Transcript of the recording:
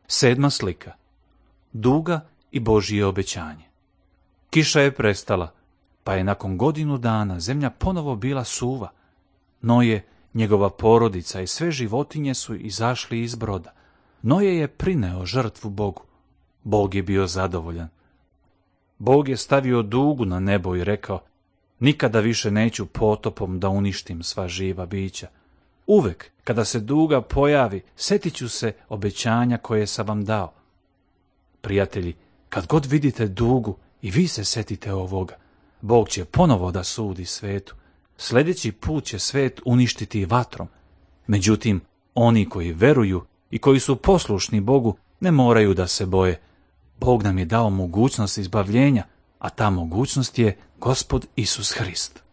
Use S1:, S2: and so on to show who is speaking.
S1: 7. slika. Duga i Božje obećanje. Kiša je prestala, pa je nakon godinu dana zemlja ponovo bila suva. Noje, njegova porodica i sve životinje su izašli iz broda. Noje je prineo žrtvu Bogu. Bog je bio zadovoljan. Bog je stavio dugu na nebo i rekao: nikada više neću potopom da uništim sva živa bića. Uvek, kada se duga pojavi, setit ću se obećanja koje sam vam dao. Prijatelji, kad god vidite dugu, i vi se setite ovoga. Bog će ponovo da sudi svetu. Sljedeći put će svet uništiti vatrom. Međutim, oni koji veruju i koji su poslušni Bogu ne moraju da se boje. Bog nam je dao mogućnost izbavljenja, a ta mogućnost je Gospod Isus Hrist.